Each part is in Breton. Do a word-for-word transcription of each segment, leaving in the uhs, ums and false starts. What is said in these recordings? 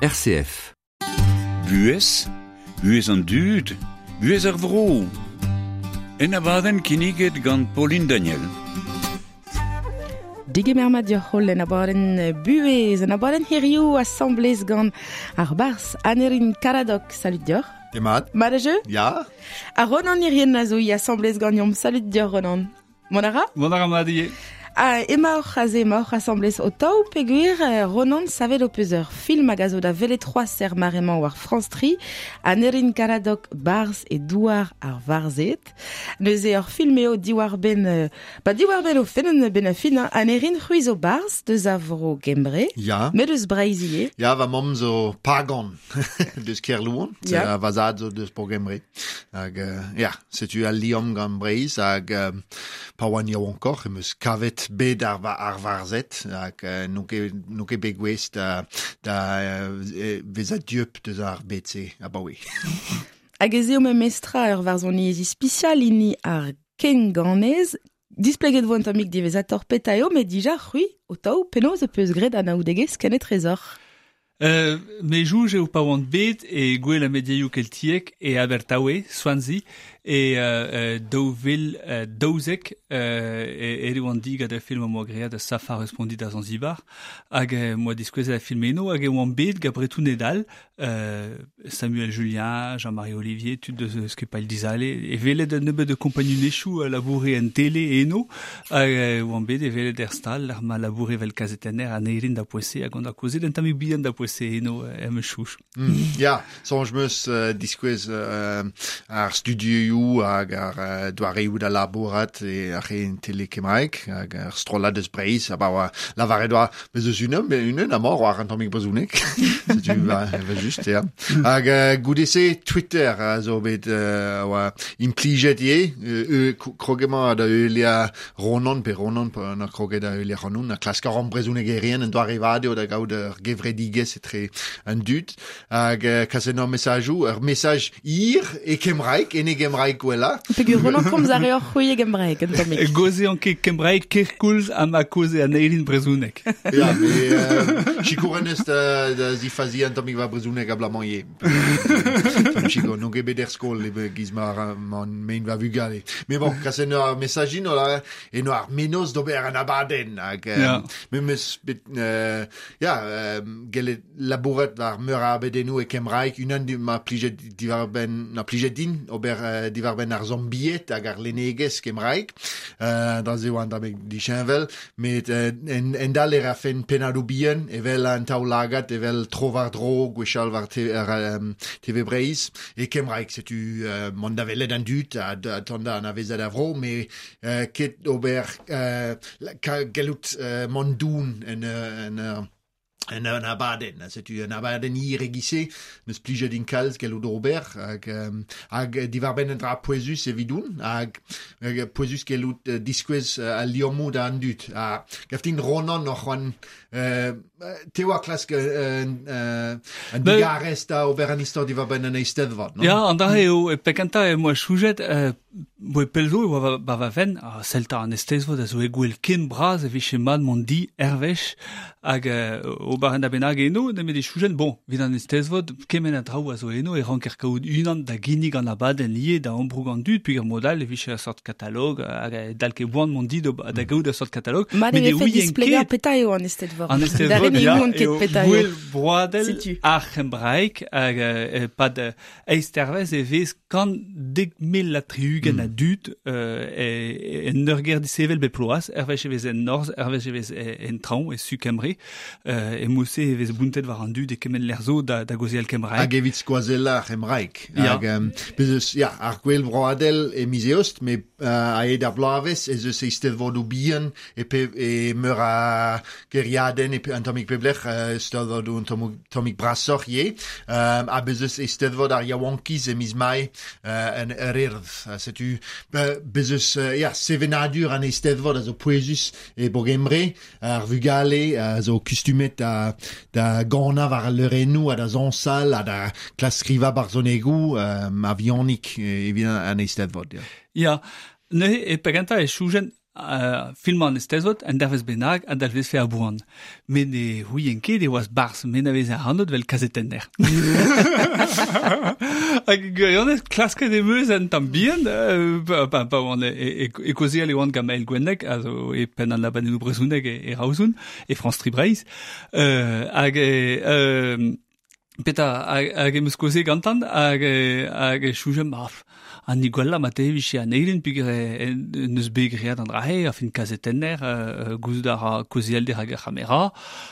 R C F. Buhez, buhez an dud, buhez ar vro. En abadenn kinniget gant Pauline Daniel. Digemer mat dioc'h holl en abadenn buhez, en abadenn hiriv asamblez gant ar barzh Aneirin Karadok. Salut dioc'h. Demat. Mat a jeu? Ya. Ha Ronan Irien a zo i asamblez ganeomp. Salut dioc'h Ronan. Mont a ra? Mont a ra mat ivez. Ah, emaoc'h aze, emaoc'h asamblez o taou peogwir Ronan savet ho peus ur film hag a zo da welet c'hoazh er mare-mañ war France tri, Aneirin Karadok barzh e douar ar varzhed. Neuze ur film eo diwar-benn, ba diwar-benn o fenn ben a fin, Aneirin c'hwi zo barzh deus a vro Gembre, Ya. met eus Breizh ivez. Ya, va mamm zo pagan deus Kerlouan, Ya. va zad zo deus bro Gembre. Hag, euh, ya, setu al liamm gant Breizh hag euh, pa oan yaouankoc'h em eus kavet bet ar, ar varzhed hag euh, n'on ket, n'on ket bet gouest da, da euh, vezañ dieub deus ar bed-se abaoe. Hag ez eo memestra ur varzhoniezh ispisial hini ar kenganez. Displeget vo un tammig diwezhatoc'h petra eo, met dija c'hwi o taou penaos e peus graet anaoudegezh kenetrezoc'h. Euh, me jouj eo pa oan bet e gwell a mediaioù keltiek e Abertawe, Swansea, e euh, daou vil euh, daouzek euh, e ere oan di gant ar film am boa graet da Safar respondi da Zanzibar, hag euh, moa diskouezet ar film eno, hag e oan bet gant Bretoned all, euh, Samuel Julien, Jean-Marie Olivier, tud deus skipailh Dizale, e welet un nebeud de kompagnunezhioù a laboure en tele eno, hag e oan bet e welet er stal, ar ma laboure vel kazetenner Aneirin da poese, hag on da kaozeet un tammig bihan da poese eno em eus chouch. Mm. Ya, soñj 'm eus euh, diskouez euh, ar studioù hag ar euh, doareoù da labourat e ar re en tele kembraeg hag ar strollad eus Breizh, ha ba oa lavaret oa bez eus unan, mais unan amañ war an tammig brezhoneg. Setu ba, evel just, ya. Hag euh, goude-se Twitter a zo bet euh, oa implijet ivez, euh, euh, kroget emañ da heuliañ Ronan pe Ronan pa na kroget da heuliañ Ronan, a klask ar brezhonegerien en doare vat eo da gaout ur gevredigezh etre an dud, hag euh, kaset ur mesajoù, ur mesaj hir e kembraeg, en e gembraeg gwella. Peogwir Ronan komz a reoc'h c'hwi e gembraeg, un tammig. Goze an ket kembraeg kerkoulz ha ma koze Aneirin brezhoneg. Ya, me euh, sikour en eus da, da zifazi an tammig va brezhoneg abalamour ivez. Tamm sikour, n'on ket bet er skol e giz ma, ma mein va vugale. Mais bon, kaset ur mesaj in, ola, eno ar menoz d'ober an abadenn. Hag, euh, Ya. me meus bet, euh, ya, euh, gellet labourat war meur a abadennoù e kembraeg, unan di ma plijet diwar-benn, na plijet din, ober euh, diwar-benn ar zombied hag ar lennegezh kembraeg, euh, da ze oan tammig disheñvel, met euh, en, en dal e rafen pennadoù bihan, evel an taol-lagad, evel tro war dro, gwechall war te, ar, euh, T V Breizh, e kembraeg, setu euh, mont da welet an dud, ha da tont da anavezet a vro, met euh, ket ober euh, la, ka, gellout euh, mont doun en, euh, en, euh, en un abadenn, setu un abadenn hir e-giz-se, neus plijet din kalz gellout ober, hag, euh, hag diwar-benn un dra pouezus evidoun, hag, hag pouezus gellout euh, diskouez euh, al liammoù da an dud. Ha gav din Ronan oc'h c'hoant, euh, te oa klask euh, euh, an Ben- digarez da ober an istor diwar-benn an eisteddfod, non? Ya, an dra eo, e pekenta e moa choujet, euh, boe pelzo e oa va, ba va ven, a selta an eisteddfod a zo e gwell ken bras e vije mat mont di erwech, hag euh, ober an da bennak eno, nemet e choujen, bon, evit an eisteddfod, kement a draoù a zo eno, e ranker kaout unan da ginnig an abadenn ivez da ambroug an dud, peogwir mod all e vije ur sort katalog, hag e dal ket boan mont di da, da gaout ur sort katalog. Mat e Met e vefe ouien displegañ ket petra eo an eisteddfod. An Da eisteddfod, ren e ya, ouon ket eo petra eo. gwell broadel Setu. ar c'hembraeg, hag euh, pad euh, eizh tervez e vez kant dek mil ha tri-ugent a dud, euh, e, en ur ger disevel bet ploaz, erwech e vez en norzh, erwech e vez e, en traoñ, e su Kembre, euh, e mouse e vez bountet war an dud e kement lec'h zo da, da gaozeal kembraeg. Hag evit skoazella ar c'hembraeg. Ya. Hag, um, bez eus, ya, ar gwell broadel e miz eost, met euh, a-hed ar bloavezh ez eus eisteddfodoù bihan e, pe, e meur a gêriadenn e pe, un tammig peblec'h, euh, eisteddfodoù un tammig, tammig brasoc'h ivez. Um, ha bez eus eisteddfod ar yaouankiz e miz mae euh, en yr Urdd. Ha setu, be, bez eus, euh, ya, sevenadur an eisteddfod a zo pouezus e bro Gembre, ar vugale a zo kustumet da, da ganañ war al leurennoù ha da zañsal ha da klask skrivañ barzhonegoù, euh, a vihanik evit an eisteddfod. Ya. Ya, neuze e pegentañ e choujen Uh, filmañ an Eisteddfod, an dervez bennak, an dalvez fe a boan. Met ne c'houien ket e oaz barzh, me n'avez ar anot vel kazetenner. Hag gwirionez, klasket em eus an tamm bihan, euh, pa, pa, pa oan e, e, e kaozeal e oan gant Mael Gwenneg, a zo e penn an abadennoù brezhoneg e, e Raozoun, e France Tri Breizh. Euh, hag e, euh, Peta, hag, hag em eus kaoze gantan, hag, hag e choujem, ma, an ni gwella ma te vije an eilen peogwir neus bet graet an drahe, a fin kazetenner, euh, gouzout a ra kaozeal dirak ar c'hamera,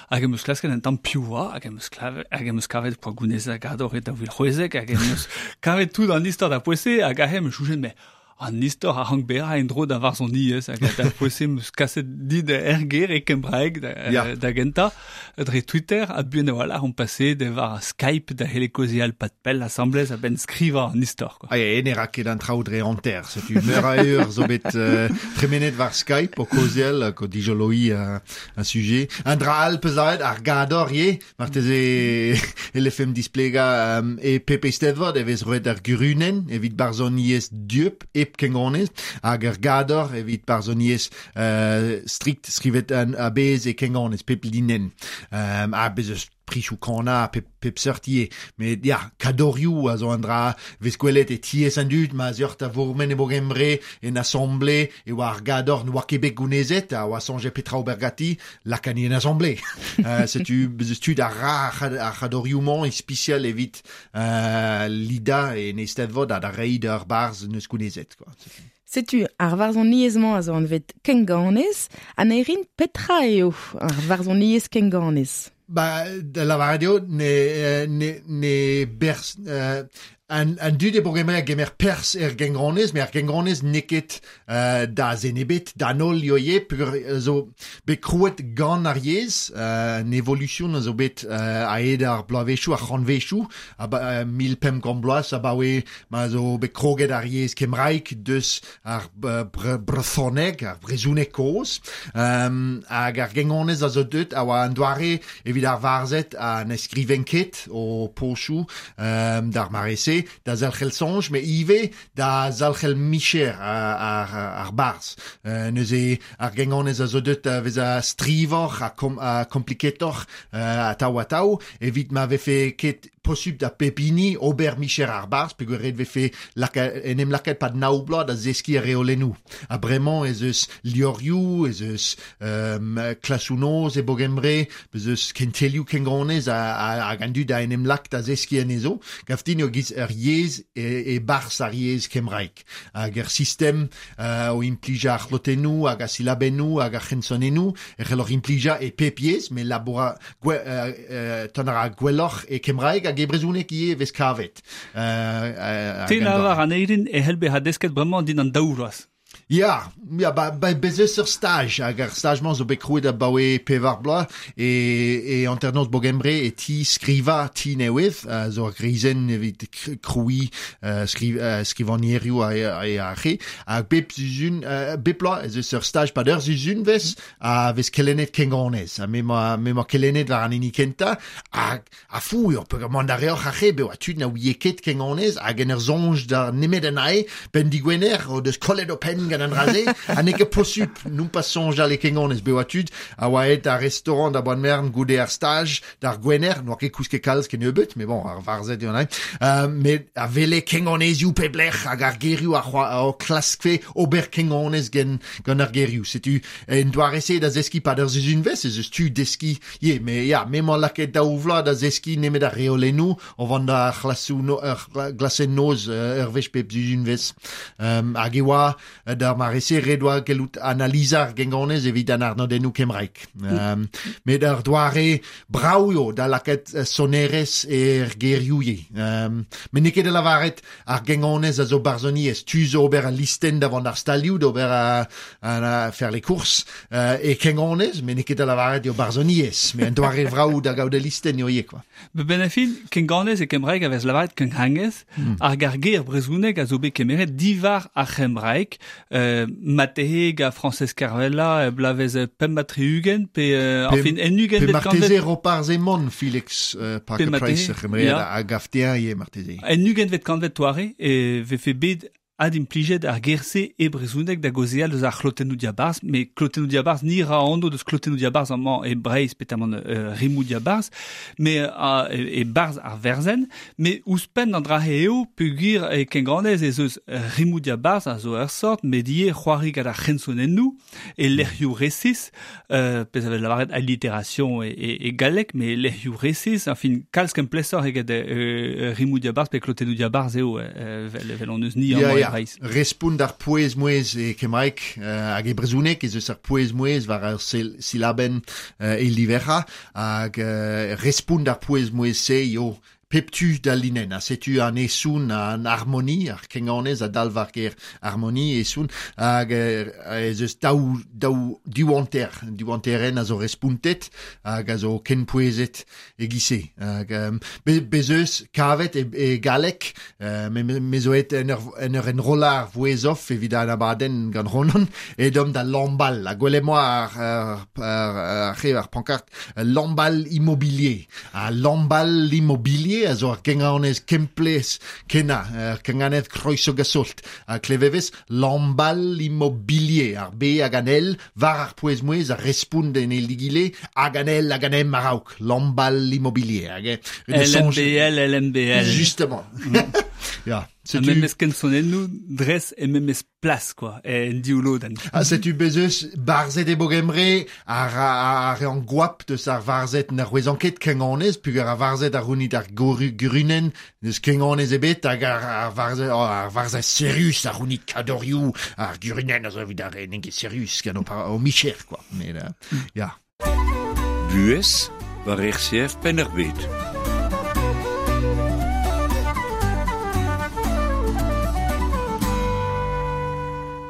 hag em eus klasket an tamm piv oa, hag em eus klavet, hag em eus kavet poa gounez a gador e daou vil c'hwezek, hag em eus kavet tout an istor da poese, hag ahe em eus choujen, mais an istor a rank bezañ en-dro da varzhoniezh hag da poese em eus kaset dit er ger e kembraeg da, Ya. da gentañ dre Twitter ha buan a-walc'h on pase de war Skype da c'helle kaozeal pad pell asambles a-benn skrivañ an istor quoi. Ah, e ne ra ket an traoù dre hanter, setu meur a eur zo bet euh, tremenet war Skype o kaozeal hag o dijoloi uh, un sujet. Un dra all peus lavaret ar gador ivez, marteze e lefem displegañ um, e pep Eisteddfod e vez roet ar gurunenn evit barzhoniezh dieub hep kengonez hag ar gador evit barzhoniezh euh, strikt skrivet an a-bezh e kengonez pep linenn. Um, ha bez eus prichoù kana pep, pep seurt ivez. Met ya, kadorioù a zo an dra vez gwelet e tiez an dud ma zeurt a vourmen e Bogembre en assemblée e oa ar gador n'oa ket bet gounezet a oa soñjet petra ober ganti lakani en assemblée. euh, setu bez eus tud a ra ar c'had- ar c'hadorioù-mañ ispisial evit euh, lida en Eisteddfod ha da reiñ d'ar barzh neus gounezet quoi. Setu ar varzhoniezh-mañ a zo anvet kenganez, Aneirin petra eo ar varzhoniezh kenganez. Ba, da lavaret eo, ne, euh, ne, ne berz, euh, an, an dud e Bogembre a gemer perzh er gengronez, met ar gengronez n'eo ket euh, da zen ebet, da an holl eo ivez, peogwir zo bet krouet gant ar yezh, euh, an evolution a zo bet euh, a-hed ar bloavezhioù, ar c'hantvezhioù, aba, euh, mil pemp kant bloaz, abaoe ma zo bet kroget ar yezh kembraek deus ar euh, bre brezhoneg, ar brezhoneg kozh, um, hag ar gengronez a zo deut a oa an doare evit ar varzhed a ne skriven ket o pochoù um, d'ar mare-se, da zalc'hel soñj, met ivez da zalc'hel micher ar, ar, ar barzh. Euh, neuze ar gengonez a zo deut a vezañ strivoc'h ha, kom, ha kompliketoc'h euh, atav atav, evit ma vefe ket posupl da pep hini ober micher ar barzh, peogwir ret vefe laka, en em lakaat pad nav bloaz da zeskiñ ar reolennoù. Ha bremañ ez eus liorioù, ez eus um, klasoù noz e Bogembre, ez eus kentelioù kengonez ha, ha, hag an dud a en em lak da zeskiñ anezho. Gav din eo giz ur yezh e, e barzh ar yezh kembraek. Hag ur sistem euh, o implijañ ar c'hlotennoù hag ar silabennoù hag ar c'hensonennoù, e c'helloc'h implijañ e pep yezh, met laboura gwe, euh, euh, ton a ra gwelloc'h e kembraeg hag e brezhoneg ivez vez kavet. Euh, euh, Te hag an doare. lavar Aneirin e c'hell bezañ desket bremañ din an daou vloaz. Ya, ya, ba, ba, bez eus ur staj, hag ar staj-mañ zo bet krouet abaoe pevar bloaz, e, e hanternoz Bogembre e ti skriva ti newydd, uh, zo ar grizenn evit kr- krouiñ uh, skriv, uh, skrivagnerioù a, a, a ar re, hag bep sizhun, uh, bep bloaz ez eus ur staj pad ur sizhunvezh, a vez kelennet kengonez, ha me ma, me ma kelennet war an hini kentañ, hag a fou eo, peogwir mont a reoc'h ar re, beo a tud na ouie ket kengonez, hag en ur soñj da nemet an ae, ben digwener, o deus kollet o penn gant an dra-se, ha n'eo ket posupl nompas soñjal e kengonez, beo a tud, a oa aet d'ar restaurant da boan-mern goude ar staj, d'ar gwener, n'oa ket kousket kalz kennebeut, mais bon, ar varzhed eo an ae, euh, met a wele kengonezioù pep lec'h hag ar gerioù a c'hoa o klaskfe ober kengonez gen, gant ar gerioù. Setu en doare-se da zeskiñ pad ur sizhunvezh, ez eus tu deskiñ ivez, met ya, me 'moa lakaet daou vloaz da zeskiñ nemet ar reolennoù, o vont da c'hlasoù no, ur glasenn noz euh, ur wech pep sizhunvezh. Um, hag e oa euh, d'ar mare-se ret oa gellout analizañ ar gengonez evit an arnodennoù kembraek. Um, met ar doare brav eo da lakaat euh, sonerezh er gerioù ivez. Um, met n'eo ket da lavaret ar gengonez a zo barzhoniezh. Tu zo ober al listenn da vont ar stalioù d'ober a, a, a faire les courses euh, e kengonez, met n'eo ket da lavaret eo barzhoniezh. Met an doare vrav da gaout al listenn eo ivez, quoi. Be ben a fin, kenganez e kembraeg a vez lavaret kenghangez, mm. ar gar ger brezhoneg a zo bet kemeret divar ar c'hembraeg, euh, matehe ga Frañsez Kervella, euh, blavez euh, pemp ha tri-ugent, pe, euh, Pe- enfin, en ugent Pe bet marteze kanvet, Roparz Hemon, Felix euh, Parker Pe Price marteze, c'hemread ya. a gaftean ivez marteze. en ugent vet kanvet toare, e vefe bet ad implijet ar gerse e brezhoneg da gaozeal deus ar c'hlotennoù diabarzh, met klotennoù diabarzh ni ra anv deus klotennoù diabarzh amañ e Breizh petamant euh, rimoù diabarzh, met uh, e, e barzh ar verzen, met ouzhpenn an dra eo peogwir e kenganez ez eus rimoù diabarzh a zo ur sort, met ivez c'hoari gant ar c'hensonennoù e lec'hioù resis, euh, pezh a vez lavaret allitération e, e, e galleg, met lec'hioù resis, enfin kalz kemplesoc'h eget euh, rimoù diabarzh pe klotennoù diabarzh eo euh, vel, vel on eus ni Ya, amañ e ya. Breizh. Respont ar pouez-mouez e kembraeg euh, hag e brezhoneg ez eus ar pouez-mouez war ar sil silabenn euh, e liverra hag euh, respont ar pouez-mouez-se eo pep tu da linenn, ha setu an esoun an harmoni, ar kenganez a dalv ar ger harmoni esoun, hag euh, ez eus daou, daou diwanter, diwanteren a zo respontet, hag a zo kenpouezet e gise. Hag, um, be, bez eus kavet e, e galleg, euh, me, me, me zo et en ur, en ur enrollañ ar vouezh off evit an abadenn gant Ronan, edom da Lambal, ha gwelet moa ar, ar, ar, ar, ar, ar pankart, Lambal immobilier. Ha Lambal immobilier a zo ar genganez kemplez kena, ar kenganez kroiso gasolt. Ha klevevez Lambal immobilier, ar B hag an L, war ar pouez-mouez a respond en el digile, hag an L hag an M a-raok. Lambal immobilier. Hag, eh, L M B L, L M B L. Justement. Ya. Ha Setu memes kensonennoù dres e memes plas, quoi, en dioulodenn. Ah, setu bez eus barzhet e bogemre ar, ar, ar an gwap deus ar varzhet n'ar c'hwezan ket kenganez, pugur ar varzhet ar rounit ar goru gurunen neus kenganez ebet hag ar, ar varzhet, oh, ar varzhet serius ar rounit kadorioù, ar gurunen a zo evit ar re n'int ket serius gant o, par, o micher, quoi. Mais, euh, ya. Buhez war R C F Penn-ar-Bed.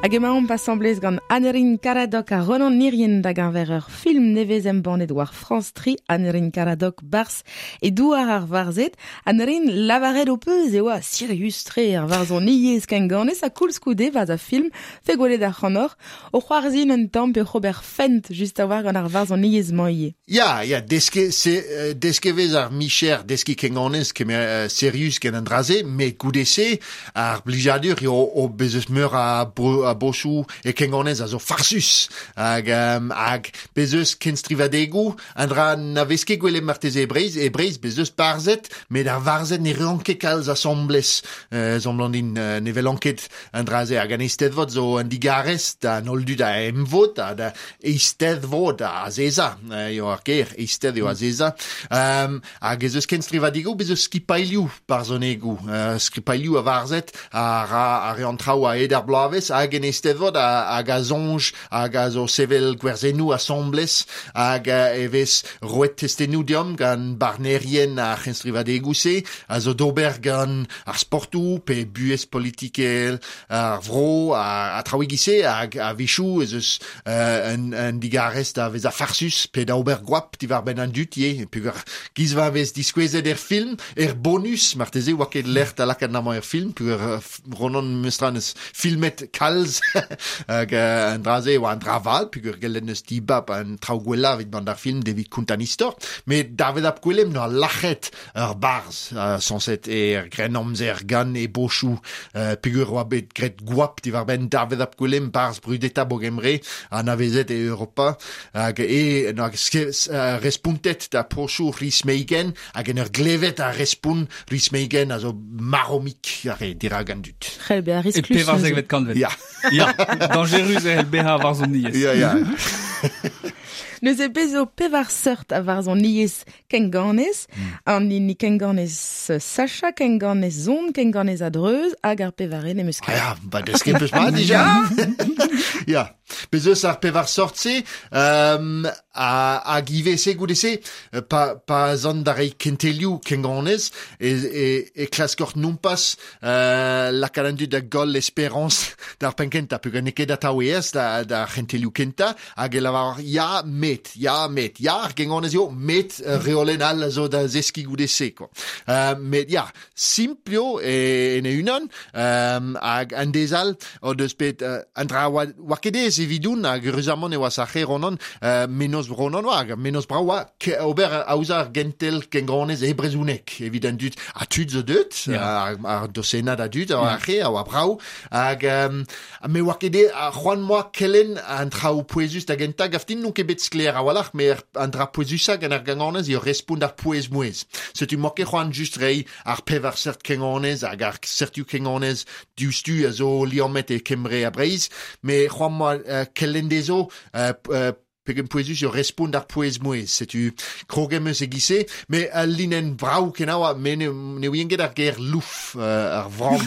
Hag emaomp asamblez gant Aneurin Karadok ha Ronan Nirien da geñver ur film nevez embannet war France tri, Aneurin Karadok Bars e douar ar varzhed. Aneurin lavaret ho peus e oa sirius-tre ar varzhoniezh kenganez ha koulskoude war a film fe gwelet ar c'hanoc'h o c'hoarzhin un tamm pe Robert Fent just a war gant ar varzhoniezh-mañ ivez. Ya, ya, deske, se, euh, deske vez ar micher, deski kenganez kemer euh, serius gant an draze, met goude-se ar blijadur eo o bez eus meur a bro, a bochou e kenganez a zo farsus hag, um, hag bez eus kenstrivadegoù an dra na vez ket gwelet marteze e Breizh, e Breizh bez eus barzhed, met ar varzhed ne reont ket kalz asambles, euh, zomlandin, euh, ne velan ket an draze hag an eisteddfod zo an digarez da an holl dud a emvod ha da eisteddfod a azeza, euh, eo ar ger, eistedd eo azeza, um, hag ez eus kenstrivadegoù bez eus skipailhoù barzhonegoù, euh, skipailhoù a varzhed a ra a re an traoù a ed ar bloavezh hag en eisteddfod hag a soñj hag a zo sevel gwerzennoù asambles hag e vez roet testennoù deomp gant barnerien ar c'henstrivadegoù-se a zo d'ober gant ar sportoù pe buhez politikel ar vro a, a traoù e-giz-se hag a-wechoù ez eus euh, un, un digarez da vezañ farsus pe da ober gwap diwar-benn an dud ivez peogwir giz va vez diskouezet er film er bonus marteze oa ket lec'h da lakaat amañ er film peogwir Ronan Mestran eus filmet kalz hag euh, an dra-se oa an dra vat peogwir gellet neus dibab an traoù gwellañ evit mont d'ar film evit kontañ an istor met David ap Gwilym n'oa lac'het ur barzh euh, sañset er grennamzer gant e bochoù euh, peogwir oa bet graet gwap diwar-benn David ap Gwilym barzh brudetañ Bogemre anavezet e Europa hag e n'oa euh, respontet da pochoù Rhys Meigen hag en ur glevet a respont Rhys Meigen a zo maromik ar re dirak an dud. C'hell bezañ E risklus. pevarzekvet kantved. Ya. Ya, dangerus e bezañ ar varzhoniezh. Ya, ya. Neuze bez zo pevar seurt a varzhoniezh kenganez, an hini kenganez Sacha, kenganez Zon, kenganez a-dreuz, hag ar pevare n'em eus Ah ket. ya, ba desket peus mat dija. Ya, bez eus ar pevar sort-se, um, a, hag ivez se goude-se, pa, pa zan da reiñ kentelioù kenganez, e, e, e klaskoc'h nompas euh, lakaat an dud da goll esperañs d'ar penn kentañ, peogwir n'eo ket atav aes da, da c'hentelioù kentañ, hag e lavar ya, met, ya, met, ya, ar genganez eo, met uh, reolenn all a zo da zeskiñ goude-se, quoi. Euh, met ya, simpl eo e, en e unan, um, hag an dez all o deus bet uh, an dra oa, oa ket aes evidoun hag eüruzamant e oa sac'he Ronan, euh, menoz Ronan oa, hag menoz brav oa, ke, ober aozañ ar gentel kenganez e brezhoneg, evit an dud, ha tud zo deut, Ya. ar, ar dosenad a dud, a ar a oa brav, hag um, me oa ket e, a c'hoant moa kelenn an traoù pouezus da gentañ, gaftin n'on ket bet sklaer a-walc'h, me an dra pouezusañ gant ar genganez eo respont ar pouez-mouez. Setu moa ket c'hoant just reiñ ar pevar seurt kenganez hag ar seurtoù kenganez diouzhtu a zo liammet e Kembre ha Breizh, me c'hoant moa uh, kelenn dezho uh, uh, pegen pouezus eo respont ar pouez-mouez. Setu krog em eus e-giz-se, me al linenn brav kenañ oa, me ne, ne ouien ket ar ger louf, uh, ar vramm.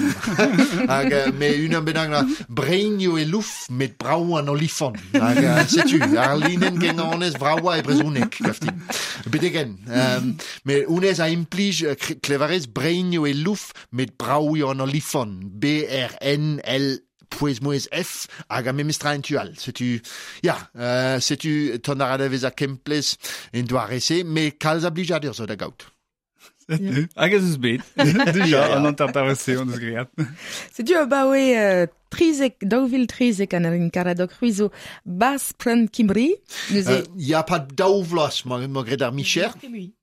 Hag uh, me unan bennak na brein eo e louf, met brav an olifant. Hag uh, setu, ar linenn genganez vravañ e brezhoneg, gaftin. Betegen. Um, me honnezh a implij uh, klevarez brein eo e louf, met brav eo an olifant. B R N L pouez-mouez F hag a memes tra en tu all. Setu, ya, euh, setu ton a ra da vezañ kemplez en doare-se, me kalz a blijadur zo da gaout. Hag ez eus bet. Dija, an hanter-se on eus graet. Setu abaoe euh, trizek, daou vil trizek Aneirin Karadog c'hwi zo barzh Plant Cymru. Neuze... Euh, ya pa daou vloaz ma, ma graet ar micher.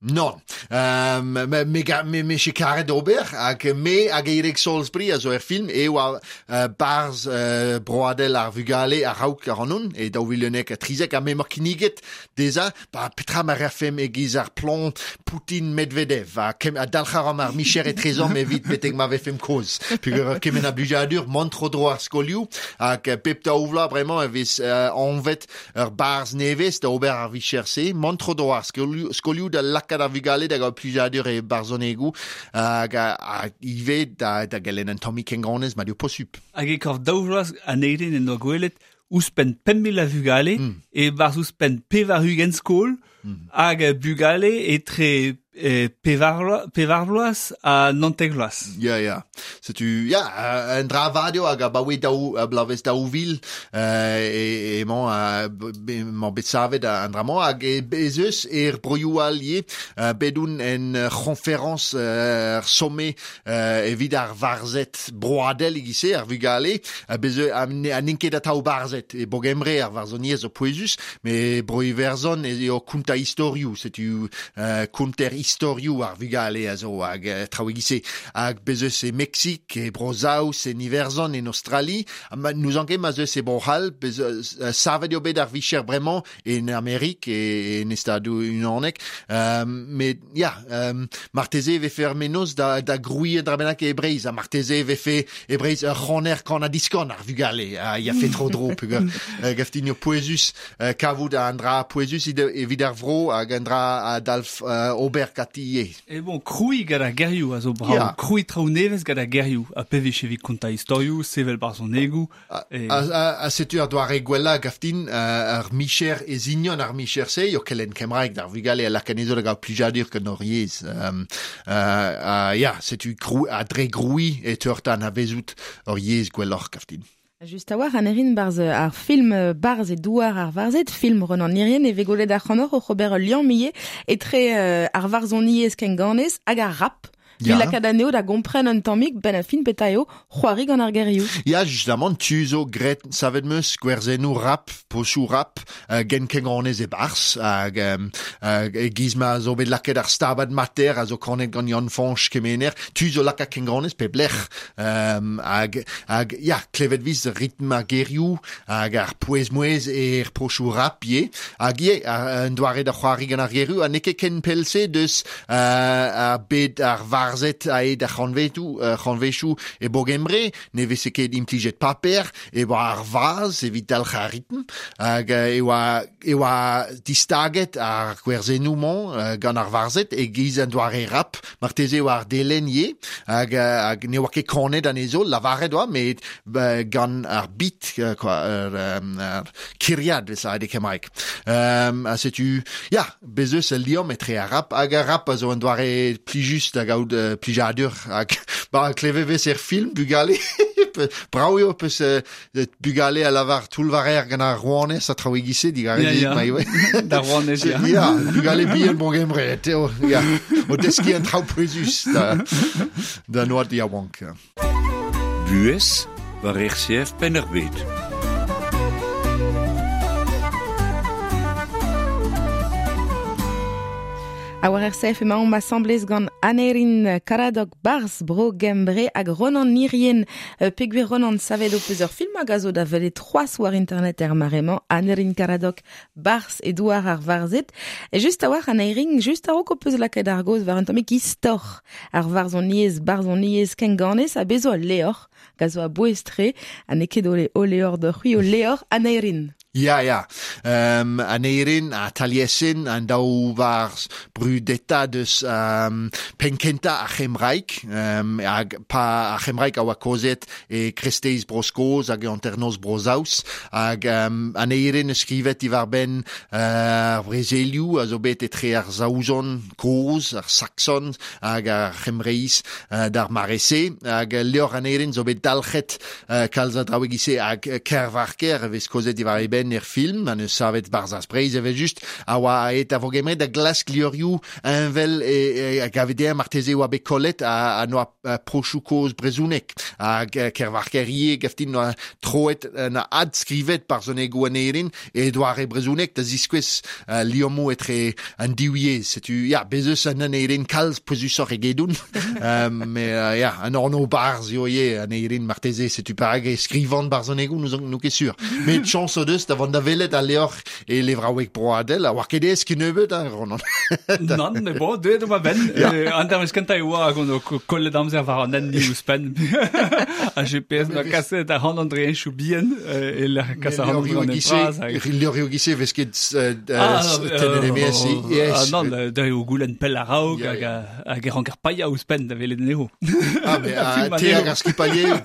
Non. Euh, me, me, me, me che karet ober, hag me hag Eirik Salisbury a zo er film, e oa uh, barz uh, broadel ar vugale ar raok ar anon, e daou vil unnek ha trizek, ha me mar kinniget dezhañ, ba petra ma rafemp e-giz ar plomb Poutine Medvedev, ha, kem, ha dalc'h ar ar micher etrezomp evit betek ma vefemp kozh. Peogwir kement a blijadur, mont tro-dro ar skolioù, hag pep daou vloaz bremañ e vez uh, anvet ur barzh nevez da ober ar vicher-se, mont tro-dro ar skolioù, skolioù da lakaat ar vugale da gaout plijadur e barzhonegoù, hag hag ivez da, da gelenn an tammig kenganez ma eo posupl. Hag e korf daou vloaz Aneirin en doa gwelet ouzhpenn pemp mil a vugale, mm. e barzh ouzhpenn pevar-ugent skol, mm. hag bugale etre eh, pevar vloaz, pevar vloaz ha naontek vloaz. Ya, ya. Setu, ya, un dra vat eo hag abaoe daou, bloavezh daou vil, euh, e, emañ, emañ bet savet an dra-mañ, hag e, ez eus er broioù all ivez, euh, bet oun en conférence euh, ar sommet euh, evit ar varzhed broadel e-giz-se, ar vugale, ha bez ha n'int ket atav barzhed, e Bro-Gembre ar varzhoniezh zo pouezus, me Bro-Iwerzhon eo kontañ istorioù, setu euh, konter istorioù ar vugale a zo hag uh, traoù e-giz-se. Hag bez eus e Meksik, e Bro-Saoz, en Iwerzhon, en Australie, ha ma, n'ouzon ket ma'z eus e Bro-C'hall, bez eus, uh, savet eo bet ar vicher bremañ en Amerik e, en Stadoù Unanet. Um, met ya, um, marteze e vefe ur mennozh da, da grouiñ un dra bennak e Breizh, ha marteze e vefe e Breizh ur c'haner kan-ha-diskan ar vugale, ha ya fe tro-dro, peogwir uh, gaftin eo pouezus, uh, kavout an dra pouezus evit ar vro hag an dra a dalv uh, ober ganti ivez. E bon, krouiñ gant ar gerioù a zo brav, Ya. Krouiñ traoù nevez gant ar gerioù, ha pe vije evit kontañ istorioù, sevel barzhonegoù. A, E... a, a, a setu ar doare gwellañ gaftin uh, ar micher e zignon ar micher-se, eo kelenn kembraeg d'ar vugale a lak anezho da gaout plijadur gant hor yezh. Um, uh, uh, ya, setu krou, a dre grouiñ e teuer da anavezout hor yezh gwelloc'h gaftin. Just a-walc'h Aneirin barzh ar film Barzh e douar ar varzhed, film Ronan Hirrien, e vez gwelet ac'hanoc'h oc'h ober ul liamm ivez etre euh, ar varzhoniezh kenganez hag ar rap. Ya. Evit lakaat anezho da gompren un tammig ben a fin petra eo c'hoari gant ar gerioù. Ya, justamant, tu zo graet savet meus gwerzennoù rap, posoù rap, uh, gen kenganez e barzh, hag um, hag e-giz ma zo bet lakaet ar Stabat Mater a zo kanet gant Yann-Fañch Kemener, tu zo lakaat kenganez pep lec'h. Um, hag, hag, ya, klevet viz ritm ar gerioù, hag ar pouez-mouez er posoù rap ivez, hag ivez, un doare da c'hoari gant ar gerioù, ha n'eo ket ken pell-se deus uh, ar bed ar varzhed aet ar c'hantvetoù, uh, c'hantvechoù e Bro-Gembre, ne veze ket implijet paper, e oa ar vazh evit dalc'h ar ritm, hag uh, e oa, e oa distaget ar gwerzennoù-mañ uh, gant ar varzhed e-giz an doare rap, marteze e oa ar delenn ivez, hag, uh, hag ne oa ket kanet anezho, lavaret oa, met uh, gant ar beat, uh, quoi, ar, um, ar kiriad vez lavaret e kembraeg. Um, ha setu, ya, bez eus ul liamm etre ar rap hag ar rap a zo un doare plijus da gaout uh, plijadur hag ba klevet vez er film bugale brav eo peus uh, bugale a lavar toull-varer gant ar rouanez ha traoù e-giz-se digarez Ya, ya. ma ivez. Da rouanez, ya. Ya, bugale bihan Bro-Gembre, teo, ya, o deskiñ an traoù pouezus da, da oad yaouank. Buhez war R C F Penn-ar-Bed. A war R C F emaomp asambles gant Aneirin Karadok Barz Bro Gembre hag Ronan Nirien peogwir Ronan savet ho peus ur film hag a zo da welet c'hoazh war internet er mare-mañ Aneirin Karadok Barz e douar ar varzhed. E just a-walc'h Aneirin, just a-raok ho peus lakaet ar gaoz war un tammig istor ar varzhoniezh, barzhoniezh kenganez ha bez zo al levr hag a zo a-bouez-tre ha n'eo ket o levr deoc'h c'hwi o levr Aneirin. Ya, ya. Um, Aneirin a Taliesin an daou varzh brudeta deus um, penn-kentañ ar C'hembraeg. Um, hag pa ar C'hembraeg a oa kozet e kreisteiz Bro-Skos hag e hanternoz Bro-Saoz. Hag um, Aneirin eus skrivet diwar-benn uh, ar brezelioù a zo bet etre ar Saozon kozh, ar Saxon hag ar C'hembreiz uh, d'ar mare-se. Hag levr Aneirin zo bet dalc'het uh, kalz a draoù e-giz-se hag Kervarker e vez kozet diwar e benn er film, an eus savet Barzhaz Breizh evel just, a oa aet a Vogemre da glask levrioù heñvel e, e, hag a dezhañ marteze oa bet kollet a, a noa prochoù kozh brezhonek. Hag Kervarker ivez gaftin noa troet na adskrivet barzhonegoù Aneirin e doare brezhonek da ziskouez uh, liammoù etre an div yezh. Setu, ya, bez eus an Aneirin kalz pouezusoc'h egedon. um, mais uh, ya, an anv barzh eo ivez Aneirin marteze, setu perak e skrivan barzhonegoù, n'ouzon n'on ket sur. Met chañs o deus da vont da welet al levr e levraoueg broadel, a oar ket aes kennebeut, hein, Ronan. Nann, mais bon, deuet eo ma benn. An dervezh kentañ e oa hag on o kollet amzer war an hent ouzhpenn. A G P S na kaset ar an dre enchoù bihan e lec'h kas ar an dre bras. Levrioù e-giz-se vez ket tennet e-maez. Ah nann, da eo goulenn pell a-raok hag hag e ranker paeañ ouzhpenn da welet anezho. Ah, mais te hag ar skipailher,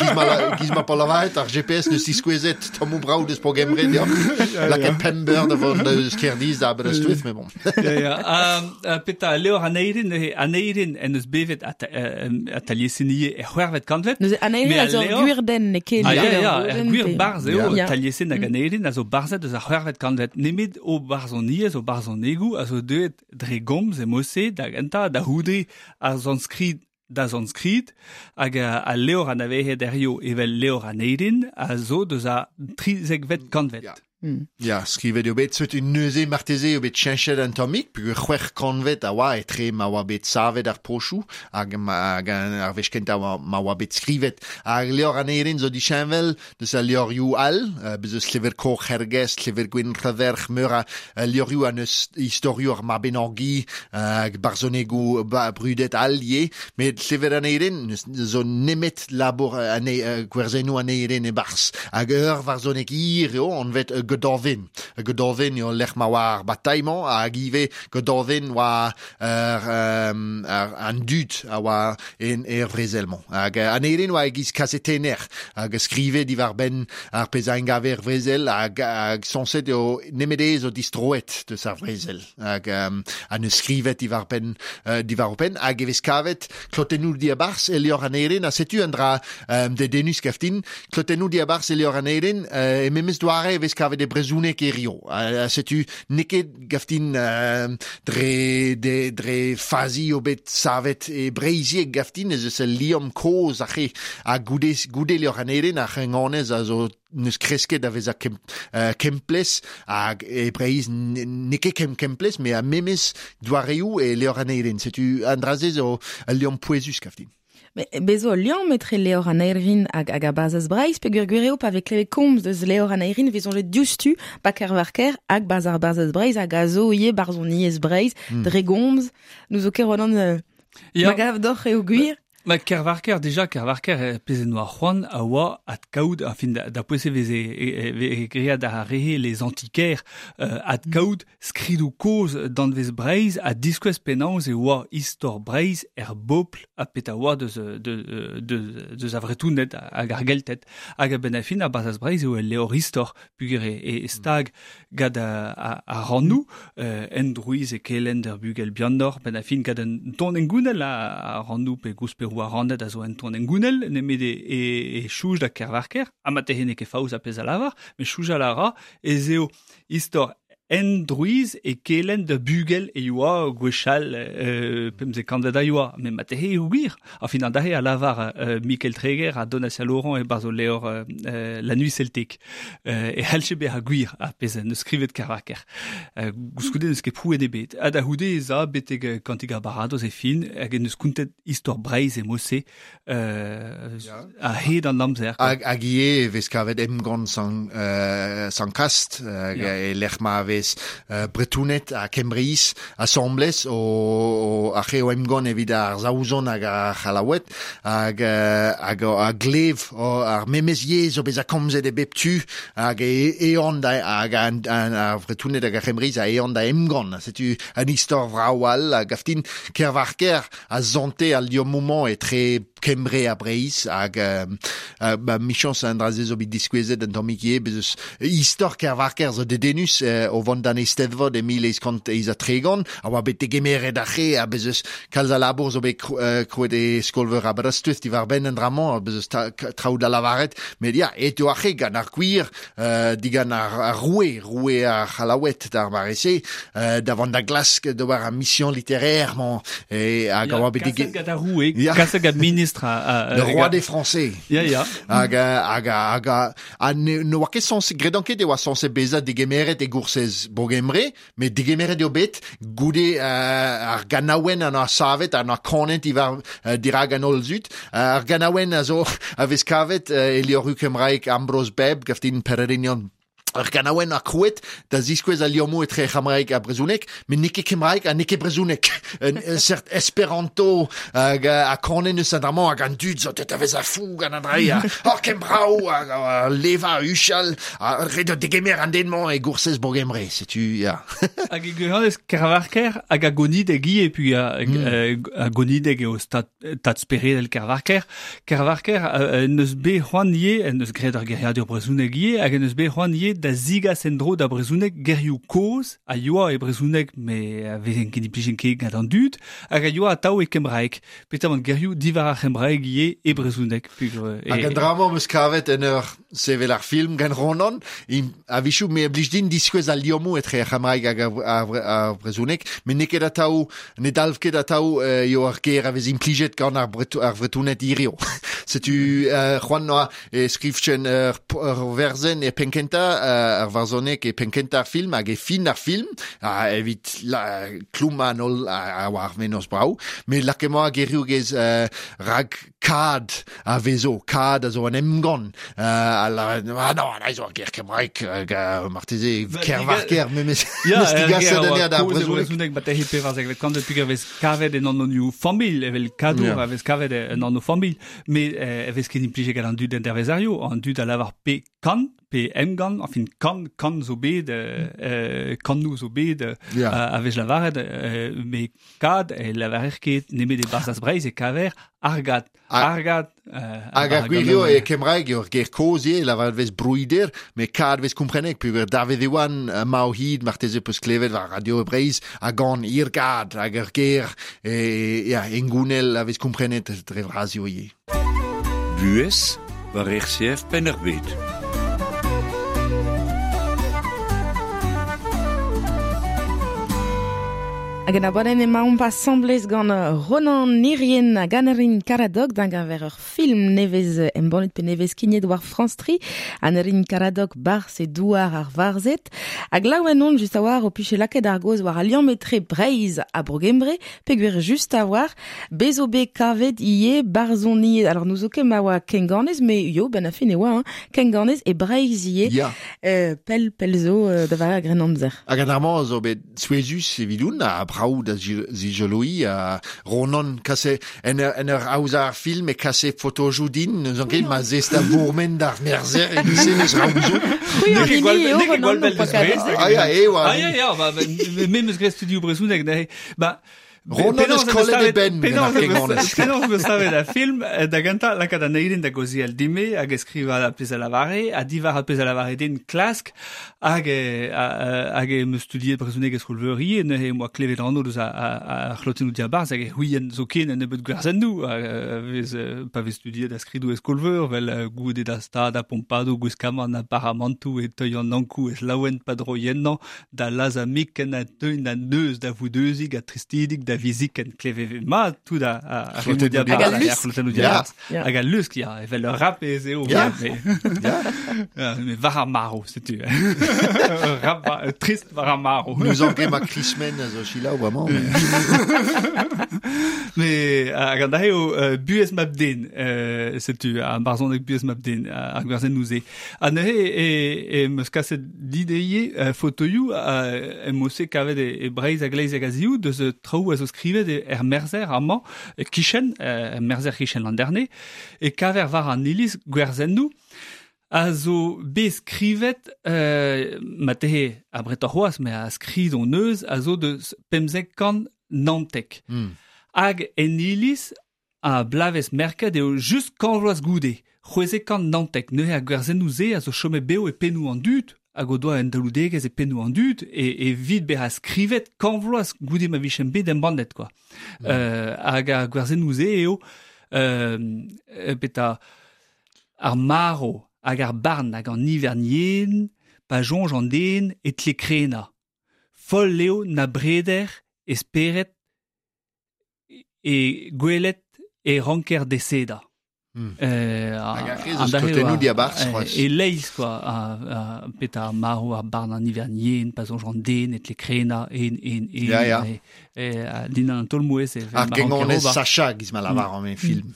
giz ma pa lavaret, ar G P S neus diskouezet tammoù brav deus Bro Gembre deoc'h. Lakaet pemp eur da vont eus Kerdiz da Aberystwyth, mais bon. Ya, ya. Petra, levr Aneirin, Aneirin en eus bevet a Taliesin ivez er c'hwec'hvet kantved. Neuze Aneirin a zo ur gwir den, n'eo ket. Ah, ya, ya, ur gwir barzh eo, Taliesin hag Aneirin a zo barzhed eus ar c'hwec'hvet kantved. Nemet o barzhoniezh, o barzhonegoù a zo deuet dre gomz e mod-se da gentañ, da c'houde ar sanskrit da sanskrit hag al levr anavezet hiziv evel levr Aneirin a zo deus ar trizekvet kantved. Ya. Mm. Ya, skrivet eo bet, setu neuze marteze eo bet cheñchet an tammig, peogwir c'hwec'h kantved a oa etre ma oa bet savet ar prochoù hag, hag ar wech kentañ ma oa bet skrivet. Hag levr Aneirin zo disheñvel deus al levrioù all, uh, bez eus Llyfr Coch Hergest, Llyfr Gwyn Rhydderch, meur a uh, levrioù an eus istorioù ar Mabinogi, hag uh, barzhonegoù ba, brudet all ivez, met Llyfr Aneirin zo nemet labour ane, uh, gwerzennoù Aneirin e-barzh. Hag ur varzhoneg hir eo, anvet Gododdin. Gododdin eo lec'h ma oa ar batailh-mañ hag ivez Gododdin oa ar, um, ar, an dud a oa en er vrezel-mañ. Hag Aneirin oa e-giz kazetenner hag skrive diwar-benn ar pezh a engave er vrezel hag, hag sañset eo nemet ez o distroet deus ar vrezel. Hag um, an eus skrivet diwar-benn uh, diwar-benn hag e vez kavet klotennoù diabarzh e levr Aneirin ha setu un dra um, dedennus gaftin. Klotennoù diabarzh e levr Aneirin uh, e memes doare e vez kavet e brezhoneg hiziv. Uh, setu n'eo ket gaftin uh, dre, de, dre fazi eo bet savet e breizhieg gaftin ez eus ul liamm kozh ar c'he ha goude, goude levr Aneirin ar c'henganez a zo neus kresket da vezañ kem, uh, kemplez hag e Breizh n'eo ket kem kemplez met a memes doareoù e levr Aneirin. Setu an dra-se zo ul liamm pouezus gaftin. Mais bezo ul liamm etre levr Aneirin hag hag a Barzhaz Breizh, peogwir gwir eo pa vez klevet komz deus levr Aneirin vez soñjet diouzhtu pa Kervarker hag Barzh ar Barzhaz Breizh hag a zo ivez barzhoniezh Breizh mm. dre gomz. Nous zo ket Ronan euh, ma gav deoc'h eo gwir. Ma Kervarker, déjà, Kervarker, pezh en doa c'hoant a oa adkaout, enfin, da, da pouez e veze e, e, da rehe les antiquaires, euh, adkaout skridoù kozh danvez Breizh ha diskouez penaos e oa istor Breizh er bobl ha peta oa deus, de, de, deus a Vretouned hag ar Gelted. Hag a-benn ar fin ar Barzhaz Breizh eo ul levr istor peogwir e, e stag gant a, a rannoù, euh, en drouiz e kelenn d'ur bugel bihanoc'h, benn ar fin gant un ton engounel a, a rannoù pe gousperoù a rannet a zo en ton engounel, nemet e, e, e chouj da Kervarker, ha ma tehe n'eo ket faoz a pezh a lavar, met choujal a ra ez eo istor en drouiz e kelen da bugel e yoa gwechal euh, pemze kanvet a yoa, met ma tehe eo gwir. A fin an dahe a lavar euh, Mikel Treger a Donatia Laurent e barzo leor euh, La Nuit Celtique. Euh, e halche be a gwir a pezh neus skrivet Kervarker. Euh, gouskoude neus ket prouet ebet. Ha da houde ez a betek kantig ar baradoz e fin, hag en neus kountet istor Breizh e mose euh, yeah. a hed an amzer. Hag, hag ie e vez kavet emgont san, euh, san kast, hag yeah. e lec'h ma vez euh, Bretounet ha Kembreiz asamblez o, o ar c'heo emgont evit ar Saozon hag ar C'hallaoued hag, hag a glev o, ar memez yezh o bezañ komzet e bep tu hag e eon da hag an, an, ar Bretounet hag ar C'hembreiz a eon da emgont. Setu an istor vrav all hag aftin Kervarker a zonte al liammoù etre Kembre ha Breizh hag euh, euh, ba, michañs an dra-se zo bet diskouezet an tammig ivez bez eus istor Kervarker zo dedennus euh, o vont d'an Eisteddfod e mil eizh kant eizh ha tregont a oa bet degemeret ar c'he ha bez eus kalz a labour zo bet euh, krouet e skolveur Aberystwyth diwar-benn an dra-mañ ha bez eus traoù da lavaret met ya et eo ar c'he gant ar gwir euh, digant ar, ar roue roue ar C'hallaoued d'ar mare-se euh, da vont da glask d'ober ar mission littéraire mañ e hag a oa bet dege... Kaset gant ar roue, kaset gant ministre a, a, le roi des Français. Ya, ya. Hag, hag, hag, ha ne, ne oa ket sañse, gredan ket e oa sañse bezañ degemeret e goursez Bogembre, met degemeret eo bet goude uh, ar ganaouenn an ar savet, an ar kanet ivar uh, dirag an holl zut. Uh, ar ganaouenn a zo a vez kavet uh, e lioru Kembraeg Ambrose Bebb, gaftin Pererinion. Ar ganaouenn a krouet da ziskouez al liammoù etre C'hembraeg ha brezhoneg, met n'eo ket Kembraeg ha n'eo ket brezhoneg. Un, un seurt esperanto hag a kanen eus an dra-mañ hag an dud zo deut a vezañ fou gant an dra ha hor Kembraou hag a leva uchal ha ret eo degemer an den-mañ e goursez Bogembre, setu ya. Hag e gwirionez Kervarker hag a gonideg ivez, puis a, mm. a gonideg eo stad, tad speredel Kervarker. Kervarker euh, neus bet c'hoant ivez, neus graet ar geriadur brezhoneg ivez, hag neus bet c'hoant ivez da zigas en-dro da brezhoneg gerioù kozh a yoa e brezhoneg me a vezen ket implijet ket gant an dud hag a yoa atav e kembraeg petamant gerioù diwar ar c'hembraeg ivez e brezhoneg pugr e... Hag an dra-mañ 'm eus kavet en ur sevel ar film gant Ronan a wechoù me blij din diskouez al liammoù etre ar c'hembraeg hag ar, ar, ar brezhoneg met n'eo ket atav ne dalv ket atav eo ar ger a vez implijet gant ar, bretou, ar Vretouned hirio. Setu euh, c'hoant noa e skrivchen ur, ur werzenn e penn-kentañ ar varzhoneg e penn-kentañ ar film hag e fin ar film a evit la, klouma an holl a, a war mennozh brav met lakaet emañ gerioù gez euh, rag kad a vezo kad a zo an emgann euh, a la, ah non, an zo ar ger kembraeg hag uh, marteze Kervarker memes ya digaset anezhañ d'ar brezhoneg ma tehe pevarzekvet kantved peogwir e vez kavet en anonioù familh evel kadour a vez kavet en anv familh met e vez ket implijet gant an dud en dervezarioù an dud a lavar pe kan pe emgann, enfin kan, kan zo bet, euh, kannoù zo bet yeah. a vez lavaret, euh, met kad e lavarer ket nemet e barzhaz Breizh e kaver argad, argad. Euh, hag ar gwir eo e Kembraeg eo ar ger kozh ivez, lavaret vez brouider, met kad vez komprenek, peogwir Dafydd Iwan ma o hid marteze peus klevet war Radio Breizh a gan irgad hag ar ger e, ya, engounel a vez komprenet dre vras eo ivez. Buhez war R C F Penn-ar-Bed. Hag an abadenn emaomp asamblez gant Ronan Irien hag Aneurin Karadog d'un gaver ur film nevez embannet pe nevez skignet war France tri. Aneurin Karadog barzh e douar ar varzhed. Hag laouen on just a-war o piche lakaet ar goz war al liamm etre Breizh ha Bro-Gembre peogwir just a-war bez zo bet kavet ivez barzhoniet. Alors nous zo ket ma oa kenganez, me yo ben a fin e oa hein, kenganez e Breizh ivez. Ya. Euh, pell pell zo euh, da vare ar Grennamzer. Hag an dra-mañ zo bet souezhus evidoun ha brav da zigeloi a Ronan kase en ur, en ur aozañ ar film e kase fotojoù din n'eus an ket ma zest a bourmen d'ar merzer e gise neus raouzo. C'hwi an hini eo Ronan o pa Ah ya, e oa. Ah ya, ya, ba, me meus graet studioù brezhoneg neuze. Ba, Ronan eus kollet e benn gant ar genganez. Penaos meus savet a film, da gentañ lakaat an eilenn da gaozeal dime hag e skriva ar pezh a lavare, ha diwar ar pezh a lavare din klask, hag hag e meus studiet brezhoneg e skol-veur ivez, neuze em boa klevet anv deus ar c'hlotennoù diabarzh hag e c'houien zoken un nebeud gwerzennoù, vez pa vez studiet a skridoù e skol-veur, vel goude da stad a pompadoù gwiskamant ha paramantoù e teuy an ankoù ez laouen pa droiennañ da lazhañ mik en a deuin da neuz da voudeuzig ha tristidig da viziken kleve mat tout a a c'hlotennoù diabarzh hag al lusk ya evel ur rap ez eo mais war ar marv setu rap trist war ar marv nous en ket ma Krismen a zo selaou bremañ mais hag an eo buhez mab-den setu ar barzhoneg buhez mab-den ar gwerzennoù se ha neuze e meus kaset dit ivez fotoioù em eus kavet e Breizh hag Leiz hag a-ziv deus traoù a zo skrivet er Merzer amañ kichen er Merzer kichen Landerne e kaver war an iliz gwerzennoù a zo bet skrivet euh, ma tehe a bretor c'hoazh mais a skrid on eus a zo deus pemzek kant naontek mm. Hag en iliz a blavez merket eo just kant vloaz goude c'hwezek kant naontek neuze ar gwerzennoù se a zo chomet bev e pennoù an dud hag o doa un daloudegezh e pennoù an dud e, e vid bezañ skrivet kant vloaz goude ma vichen bet embannet quoi. Mm. Euh, hag ar gwerzennoù se eo euh, beta ar marv hag ar barn hag an ivern yen pa soñj an den e tle krenañ. Foll eo na breder e spered e gwelet e ranker desedañ. Mm. Euh, hag ar rez eus klotennoù diabarzh c'hoazh. E leiz quoi, peta ar marv ar barn an ivern yen, pa soñj an den e tle krenañ, en, en, en, ya, ya. E, e, din an taol-mouezh. Ar genganez Sacha giz ma lavar an mm. film.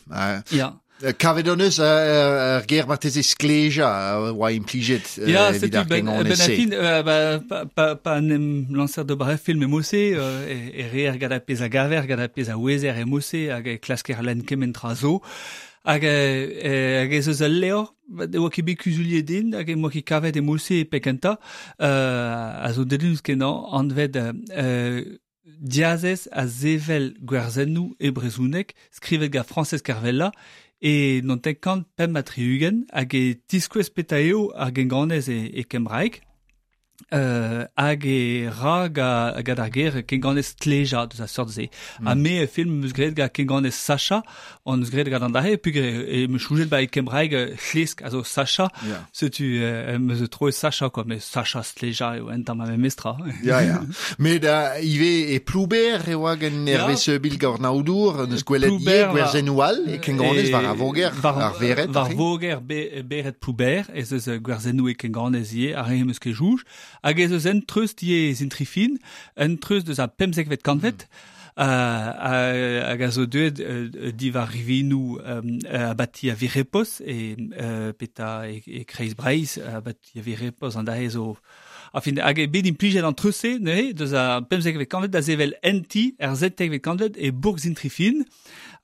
Ya. Kavet hon eus ar ger marteze skleja oa implijet ya, evit ar genganez se. Ya, setu, ben, pa, pa, pa en em lancer d'ober ur film e mose, e, e reer gant ar pezh a gaver, gant ar pezh a ouezer e mose, hag e klasker lenn kement tra zo. Hag hag ez eus ul levr, e oa ket bet kuzuliet din, hag e moa ket kavet e mose e pekenta, euh, a zo dedennus kenañ, anvet euh, Diazez a zevel gwerzennoù e brezhoneg, skrivet gant Frañsez Kervella, e naontek kant pemp ha tri-ugent, hag e tiskouez petra eo ar genganez e, e kembraeg, euh, hag e ra gant ar ger kenganez stleja deus a seurt se. Mm. Ha me film meus graet gant kenganez Sacha, on eus graet gant an dare, peogwir e meus choujet ba e kembraeg hlesk a zo Sacha, yeah. Setu euh, meus troet Sacha quoi, mais Sacha stleja eo entañ ma memestra. Ya, ya. Met uh, ivez e Plouber e oa gant Hervé Seubil Gornaoudour, neus gwelet ivez gwerzennoù all e kenganez war ar voger, ar vered. War voger be, beret Plouber, ez eus gwerzennoù e kenganez ivez, ar re meus ket jouj. Hag ez eus un treust ivez zintrifin, un treust deus ar pemzekvet kantved, mm. uh, hag a zo deuet uh, diwar rivinoù um, abati a Virepos, e uh, peta e, e kreiz Breizh, abati a Virepos an dae zo... Enfin, hag e bet implijet an treust-se, neuze, deus ar pemzekvet kantved da sevel enti er settekvet kantved e bourg Zintrifin,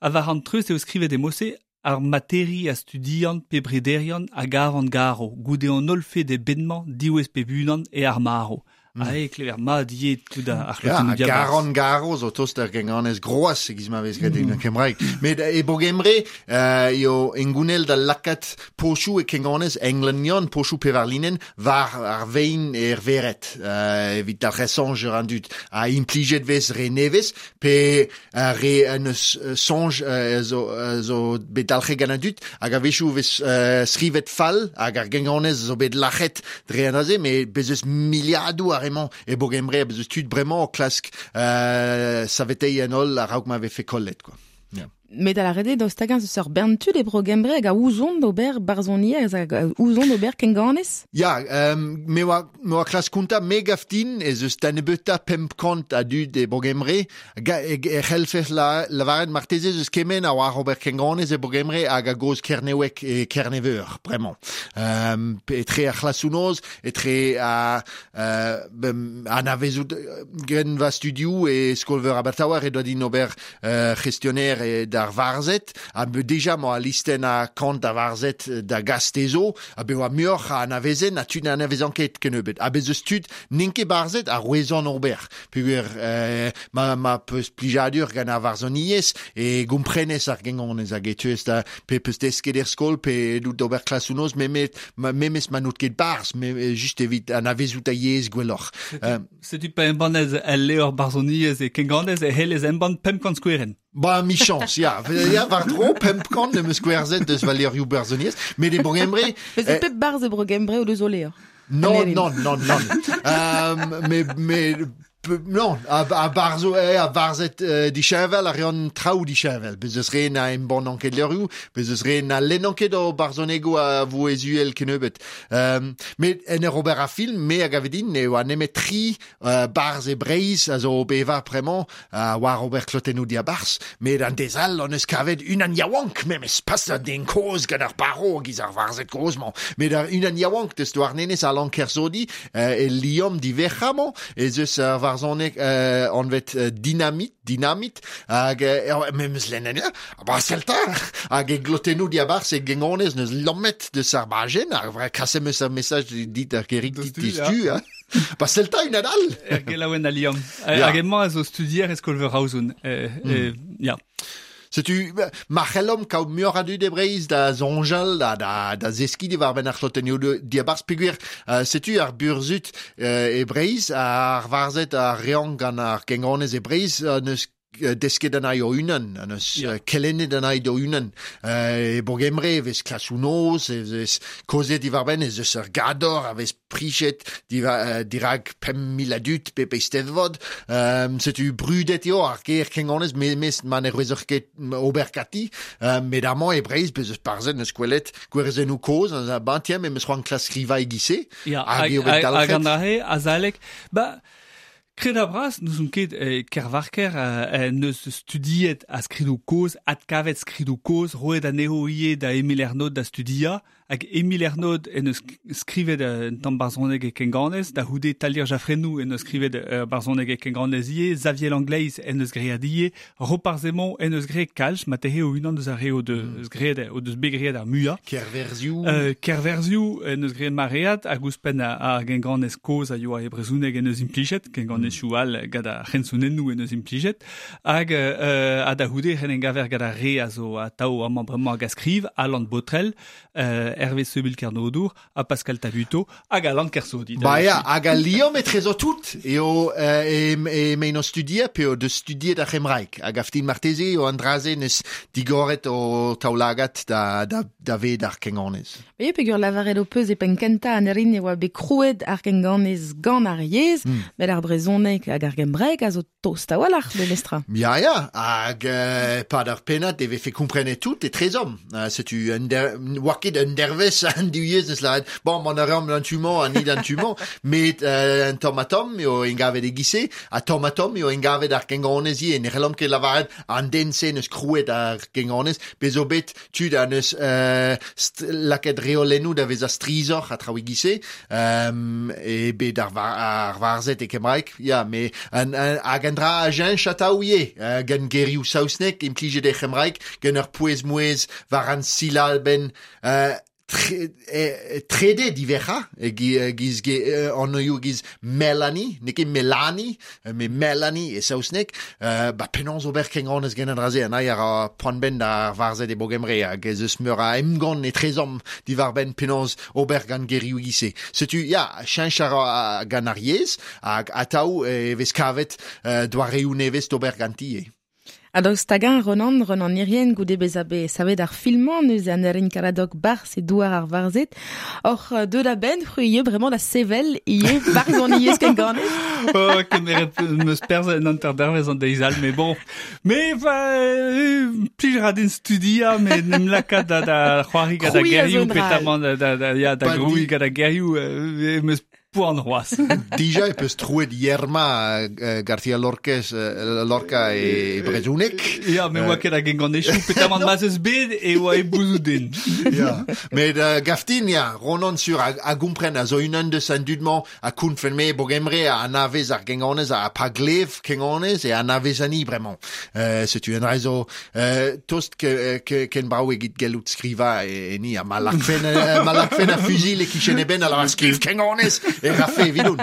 ha war an treust eo skrivet e mose ar materi a studian pe brederian hag ar garo, goude an holl fed e benmañ diwezh pe bunan e ar marv. Mm. Ah, e klever mat ivez tout ar c'hlotennoù diabarzh. Ya, garan garo zo tost ar genganez groaz e giz ma vez graet mm. en kembraeg. Met e Bogembre uh, eo engounel da lakaat pochoù e kenganez englenion, pochoù pevarlinen, war ar vein er vered, uh, evit ar resoñj an dud. A implijet vez re nevez, pe uh, re an eus uh, soñj uh, zo, uh, zo bet dalc'het gant an dud, hag a-wechoù vez uh, skrivet fall, hag ar genganez zo bet lac'het dre an aze, met bez eus miliadoù ar emañ e Bogembre, bez eus tud bremañ o klask euh, saveteiñ an holl a-raok ma vefe kollet quoi. Yeah. Met a la rede daoust hag-eñ eus ur bern tud e Bro-Gembre hag a ouzont d'ober barzhoniezh hag a ouzont d'ober kenganez? Ya, um, me oa, me oa klas kontañ me gav din ez eus da nebeutañ pemp kant a dud e Bro-Gembre e, e c'hellfes la, lavaret marteze eus kement a oar ober kenganez e Bro-Gembre hag a goz Kernewek e Kerneveur, bremañ. Um, etre ar c'hlasoù noz, etre a, uh, anavezout gren va studioù e skol-veur Abertawe e doa din ober uh, gestionnaire e da ar varzed, ha deja mo a listen a kant a varzed da gastezo, ha be oa muioc'h a anavezen, ha tud na anavezan ket kennebeut. Ha bez eus tud n'int ket barzed a rouezan ober. Peogwir euh, ma, ma peus plijadur gant ar varzhoniezh e gomprenez ar gengonez hag e tuez da pe peus desket er skol pe dout d'ober klasoù noz memes ma, memes ma n'out ket barz, me, just evit anavezout a yezh gwelloc'h. Euh, Setu pa embanez el levr barzhoniezh e kenganez e hellez embann pemp kant skouerenn. Ba, michañs, ya. Ya, war-dro pemp kant em eus gwerzhet deus va levrioù barzhoniezh, met e Bro-Gembre... Bez e pep barzh e Bro-Gembre o deus o levr. Non, non, non, non. euh, mais, mais, non, a, a barzo, eh, a varzet euh, disheñvel a reont traoù disheñvel. Bez eus re na embann ket levrioù, bez eus re na lennan ket o barzhonegoù a vouezh uhel kennebeut. Um, met en ur ober a film, me a gave din, e oa nemet tri uh, barzh e Breizh a zo bevañ bremañ, uh, war ober klotennoù diabarzh, met an dez all on eus kavet unan yaouank, memes pas an den kozh gant ar barro giz ar varzhed kozh-mañ, met ar unan yaouank deus Douarnenez Alan Kersodi, uh, e liamm diverc'h-mañ, ez eus ar varzhoneg euh, anvet euh, Dynamite, Dynamite, hag euh, memes lennet, ha ba selta, hag e glotennoù diabarzh e gengonez neus lammet deus ar bajenn, ar vra kaset meus ar message dit ar gerik dit distu, ha. Ba selta un all. Er gelaouen a liamm. Hag emañ a zo studier e skol-veur Roazhon. Euh, mm. euh, ya. Setu, ma c'hellomp kaout muioc'h a dud e Breizh da soñjal, da, da, da zeskiñ diwar-benn ar c'hlotennoù diabarzh peogwir. Uh, setu ar burzhud uh, e Breizh, ar varzhed ar reont gant ar gengonez e Breizh, uh, neus desket anezho o-unan, neus yeah. kelennet anezho o-unan. Uh, e Bro-Gembre e vez klasoù noz, e vez kaozeet diwar-benn, ez eus ur gador a vez prichet diva, uh, dirak pemp mil a dud pep eisteddfod. Um, setu brudet eo ar ger kengonez, memes ma ne rouezoc'h ket ober ganti. Um, met amañ e Breizh, bez eus barzhed neus gwelet gwerzennoù kozh, an ba tiens, memes c'hoant klask skrivañ e-giz-se. Ya, hag eo bet dalc'het. Hag an dra-se, azalek, ba... Kred bras, nous on ket eh, Kervarker eh, neus studiet a skridoù kozh, adkavet skridoù kozh, roet anezho ivez da Emil Ernod da studia, hag Emil Ernod en eus skrivet un tamm barzhoneg e kenganez, da c'houde Talier Jaffrennou en eus skrivet uh, barzhoneg e kenganez ivez, Xavier Langleiz en eus graet ivez, Roparz Hemon en eus graet kalz, ma tehe o unan deus ar re o deus graet, o deus bet graet ar muiañ. Kerverzioù. Euh, Kerverzioù en eus graet maread, hag ouzhpenn ar genganez kozh a yoa e brezhoneg en eus implijet, kenganezioù all gant ar c'hensonennoù en eus implijet, hag euh, ha da c'houde ren engaver gant ar re a zo atav amañ bremañ hag a skriv, Alan Botrel, euh, Hervé Seubil Kernodour, ha Pascal Tabuteau, hag Alan Kersodi. Ba ya, hag al liamm etrezo tout, eo e, e mein o studier, pe o deus studiet ar c'hembraeg. Hag aftin marteze eo an dra-se neus digoret o taoulagad da, da, da ved ar kenganez. E peogwir lavaret ho peus e penn kentañ an erin e oa bet krouet ar kenganez gant ar yezh, mm. met ar brezhoneg hag ar gembraeg a zo tost a-walc'h memestra. Ya, ya, hag euh, pad ar pennad e vefe komprenet tout etrezomp. Uh, setu un der, oa ket un dervez an div yezh neus lavaret, bon, mont a reomp d'an tu-mañ ha ni d'an tu-mañ, met euh, un tamm ha tamm eo engavet e-giz-se, ha tamm ha tamm eo engavet ar genganez ivez, ne c'hellomp ket lavaret an den-se neus krouet ar genganez, bez zo bet tud a neus euh, lakaet reolennoù da vezañ strizhoc'h ha traoù e-giz-se, um, e bet ar, var, ar varzhed e kembraeg, ya, met an, an, hag an dra a cheñch atav ivez, uh, gant gerioù saozneg implijet e c'hembraeg, gant ur pouez-mouezh war an silabenn uh, tre, e, trede diverc'hañ, e giz anvioù giz Melanie, n'eo ket Melanie, met Melanie e saozneg, uh, ba penaos ober kenganez gant an dra-se, an ai ar poan-benn d'ar varzhed e Bro-Gembre, hag ez eus meur a emgann etrezomp diwar-benn penaos ober gant gerioù e-giz-se. Setu, ya, cheñch a ra gant ar yezh, hag atav e vez kavet uh, doareoù nevez d'ober ganti. Ha daoust hag-eñ Ronan, Ronan Irien goude bezañ bet savet ar filmañ neuze an Erin Caradoc barzh e douar ar varzhed, oc'h deut a-benn c'hwi ivez bremañ da sevel ivez barzhoniezh kenganez. Oh, kemeret meus perzh en hanter dervezh an deiz all, mais bon. Mais plij ra din studiañ, met n'em lakaat da, da c'hoari gant ar gerioù, petamant da, da, da, ya, da grouiñ gant ar gerioù, meus poan c'hoazh. Dija e peus troet Yerma uh, García Lorquez, uh, Lorca e brezhoneg. Ya, me oa ket a genganezhioù, petamant ma'z eus bet e oa e bouzouden. Ya. Met uh, gaftin, ya, Ronan sur a, a gompren a zo unan deus an dud-mañ a kounfen me bogemre a anavez ar genganez a pa glev kenganez e anavez ani bremañ. Uh, setu un rezo uh, tost ke, ke, ken brao egit gellout skriva e, e ni a ma lakfen, uh, ma lakfen a fusil e kichen eben a lavar skriv kenganez e rafe evidoun.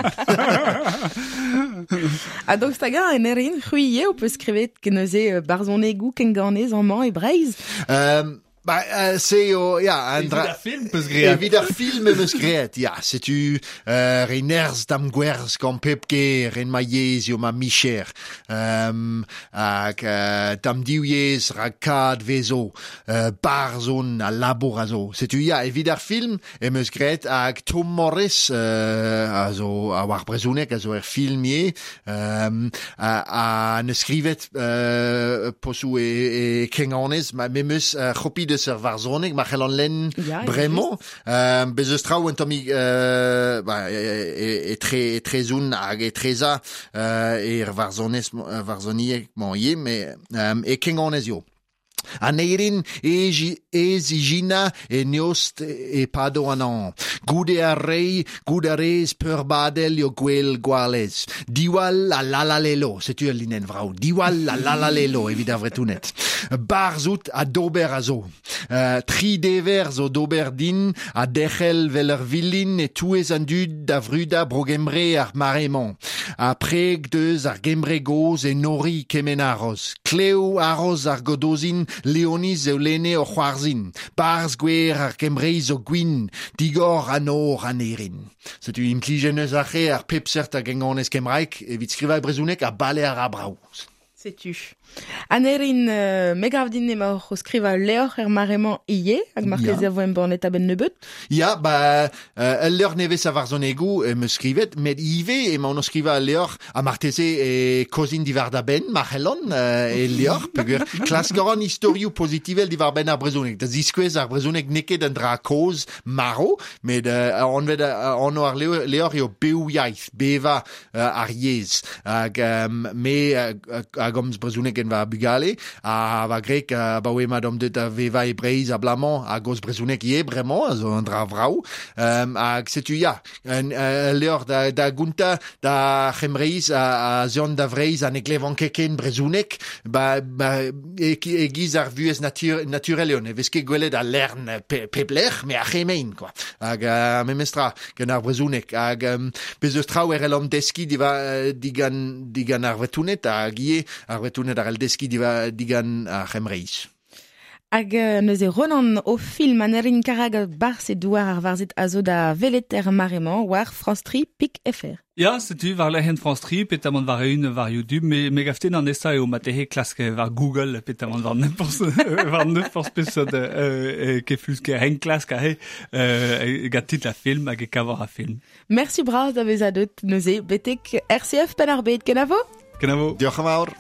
Ha donc stagañ en erin, c'hwi eo peus skrivet keneuze barzhonegou kenganez amañ e Breizh. Um, Ba, uh, se eo, ya, an dra... Evit ar film peus great. Evit ar film em eus great, ya. Setu uh, re nerz dam gwerz gant pep ger en ma yezh eo ma micher. Um, hag uh, dam div yezh rag kad vezo, uh, barzhon a labour a zo. Setu, ya, evit ar film em eus great hag Tom Morris, uh, a zo a war brezhoneg, a zo er film ivez, um, a, a neus skrivet uh, posou e, e kenganez, ma m'em eus uh, c'hopi deus ur varzhoneg, ma c'hell an lenn Ya, bremañ. Euh, bez eus traoù un tammig euh, ba, e, e, etre, etrezoun hag etreza euh, er varzhonez, varzhonieg mañ ivez, met euh, e kenganez eo. An eirin ez ijina e neost e pado an an. Goude ar rei, goude ar rez peurbadel eo gwell gwalez. Diwall a lalalelo, setu ul linenn vrao. Diwall a lalalelo evit ar vretounet. Barzout a dober a zo. Uh, tri dever zo dober din a derc'hel vel ur vilin e touez an dud da vruda bro-Gembre ar mare-mañ. A preg deus ar Gembre goz e nori kement aroz. Klev aroz ar godozin Leoniz eo lene o c'hoarzhin. Barz gwer ar Gembreiz o gwin, digor an or an erin. Setu implijen eus ar re ar pep seurt a genganez kembraek evit skrivañ brezhoneg ha bale ar abrao. Setu. An erin, euh, me gav din emaoc'h o skrivañ levr er mare-mañ ivez, hag marteze Ya. a vo embannet a-benn nebeut. Ya, ba, euh, ul levr nevez a varzhonegou em eus skrivet, met ivez emaon o skrivañ ul levr ha marteze e kozin diwar da benn, ma c'hellon, euh, e levr, peogwir klask a ran istorioù pozitivel diwar benn ar brezhoneg. Da ziskouez ar brezhoneg n'eo ket un dra kozh marv, met euh, anvet euh, anv ar levr, levr eo bev yaith, beva euh, ar yezh. Hag euh, me euh, a gomz brezhoneg en va bugale, ha va grek uh, baoe ma dom deut a veva e Breizh a blamañ a goz brezhoneg ivez bremañ, a zo un dra vrao. Um, hag setu ya, un uh, levr da, da gontañ da C'hembreiz a, a zeont da Vreizh ha ne glevan ket ken brezhoneg, ba, ba, e, e giz ar vuhez natur, naturel eo, ne vez ket gwelet al lern pe, pep lec'h, me ar c'hemein, quoi. Hag uh, memestra gant ar brezhoneg. Hag um, bez eus traoù er an deskiñ diva, digan, digan ar Vretouned, hag ivez ar Vretouned ar el deskiñ diva, digan ar C'hembreiz. Hag euh, neuze Ronan o film an erin karag barz e douar ar varzhed a zo da welet er mare-mañ war France tri pik F R. Ya, setu war lec'hienn France tri, petamant war eeun war YouTube, me, me gaften an esa eo matehe klask war Google, petamant war n'importe war n'importe peseurt euh, keflusker hen klask ahe, euh, gant titl a film hag e kavor a film. Merci bras da vezañ deut neuze betek R C F Penn-ar-Bed, kenavo? Kenavo. Diolch yn fawr.